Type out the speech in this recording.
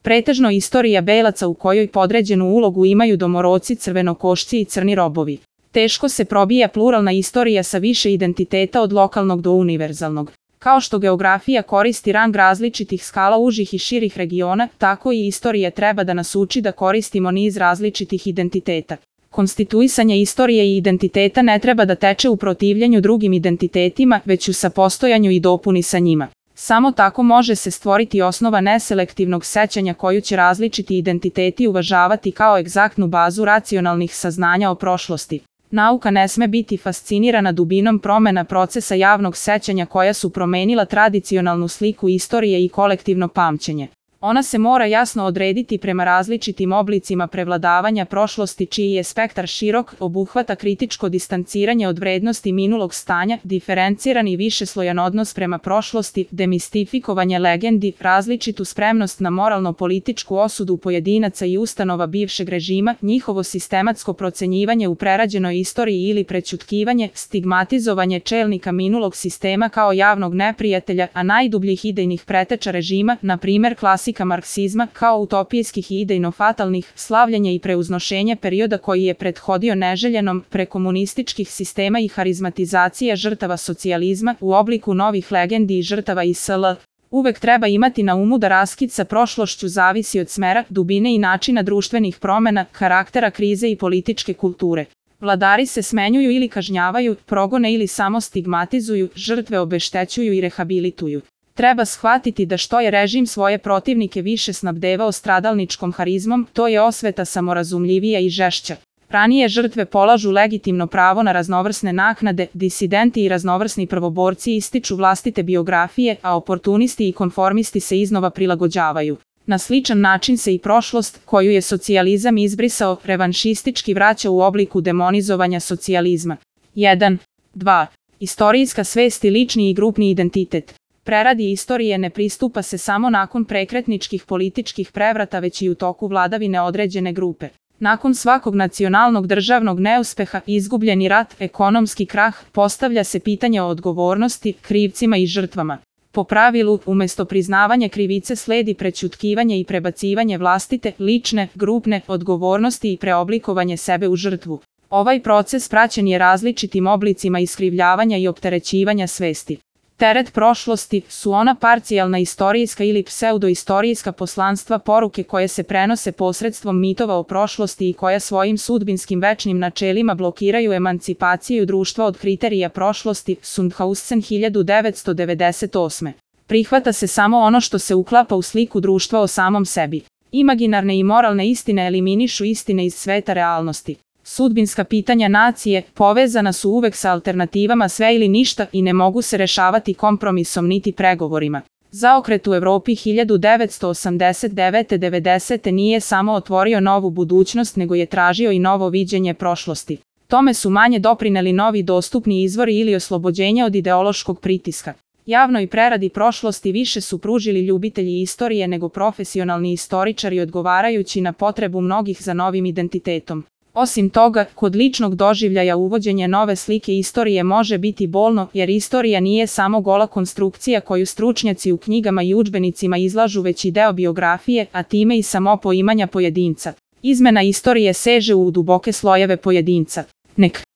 Pretežno istorija belaca u kojoj podređenu ulogu imaju domoroci, crvenokošci i crni robovi. Teško se probija pluralna istorija sa više identiteta od lokalnog do univerzalnog. Kao što geografija koristi rang različitih skala užih i širih regiona, tako i istorija treba da nas uči da koristimo niz različitih identiteta. Konstituisanje istorije i identiteta ne treba da teče u protivljenju drugim identitetima, već u sapostojanju i dopuni sa njima. Samo tako može se stvoriti osnova neselektivnog sećanja koju će različiti identiteti uvažavati kao egzaktnu bazu racionalnih saznanja o prošlosti. Nauka ne sme biti fascinirana dubinom promena procesa javnog sećanja koja su promenila tradicionalnu sliku istorije i kolektivno pamćenje. Ona se mora jasno odrediti prema različitim oblicima prevladavanja prošlosti čiji je spektar širok, obuhvata kritičko distanciranje od vrednosti minulog stanja, diferenciran i višeslojan odnos prema prošlosti, demistifikovanje legendi, različitu spremnost na moralno-političku osudu pojedinaca i ustanova bivšeg režima, njihovo sistematsko procenjivanje u prerađenoj istoriji ili prećutkivanje, stigmatizovanje čelnika minulog sistema kao javnog neprijatelja, a najdubljih idejnih preteča režima, na primer klasika marksizma, kao utopijskih i idejno-fatalnih, slavljenje i preuznošenje perioda koji je prethodio neželjenom, prekomunističkih sistema i harizmatizacija žrtava socijalizma u obliku novih legendi i žrtava ISL. Uvek treba imati na umu da raskid sa prošlošću zavisi od smera, dubine i načina društvenih promena, karaktera krize i političke kulture. Vladari se smenjuju ili kažnjavaju, progone ili samo stigmatizuju, žrtve obeštećuju i rehabilituju. Treba shvatiti da što je režim svoje protivnike više snabdevao stradalničkom harizmom, to je osveta samorazumljivija i žešća. Ranije žrtve polažu legitimno pravo na raznovrsne naknade, disidenti i raznovrsni prvoborci ističu vlastite biografije, a oportunisti i konformisti se iznova prilagođavaju. Na sličan način se i prošlost, koju je socijalizam izbrisao, revanšistički vraća u obliku demonizovanja socijalizma. 1. 2. Istorijska svest i lični i grupni identitet. Preradi istorije ne pristupa se samo nakon prekretničkih političkih prevrata, već i u toku vladavine određene grupe. Nakon svakog nacionalnog državnog neuspeha, izgubljeni rat, ekonomski krah, postavlja se pitanje o odgovornosti, krivcima i žrtvama. Po pravilu, umesto priznavanja krivice sledi prećutkivanje i prebacivanje vlastite, lične, grupne odgovornosti i preoblikovanje sebe u žrtvu. Ovaj proces praćen je različitim oblicima iskrivljavanja i opterećivanja svesti. Teret prošlosti su ona parcijalna istorijska ili pseudoistorijska poslanstva poruke koje se prenose posredstvom mitova o prošlosti i koja svojim sudbinskim večnim načelima blokiraju emancipaciju društva od kriterija prošlosti. Sundhausen 1998. Prihvata se samo ono što se uklapa u sliku društva o samom sebi. Imaginarne i moralne istine eliminišu istine iz sveta realnosti. Sudbinska pitanja nacije povezana su uvek sa alternativama sve ili ništa i ne mogu se rešavati kompromisom niti pregovorima. Zaokret u Evropi 1989-90 nije samo otvorio novu budućnost, nego je tražio i novo viđenje prošlosti. Tome su manje doprineli novi dostupni izvori ili oslobođenje od ideološkog pritiska. Javnoj preradi prošlosti više su pružili ljubitelji istorije nego profesionalni istoričari, odgovarajući na potrebu mnogih za novim identitetom. Osim toga, kod ličnog doživljaja uvođenje nove slike istorije može biti bolno, jer istorija nije samo gola konstrukcija koju stručnjaci u knjigama i udžbenicima izlažu, već i deo biografije, a time i samo poimanja pojedinca. Izmena istorije seže u duboke slojeve pojedinca. Nek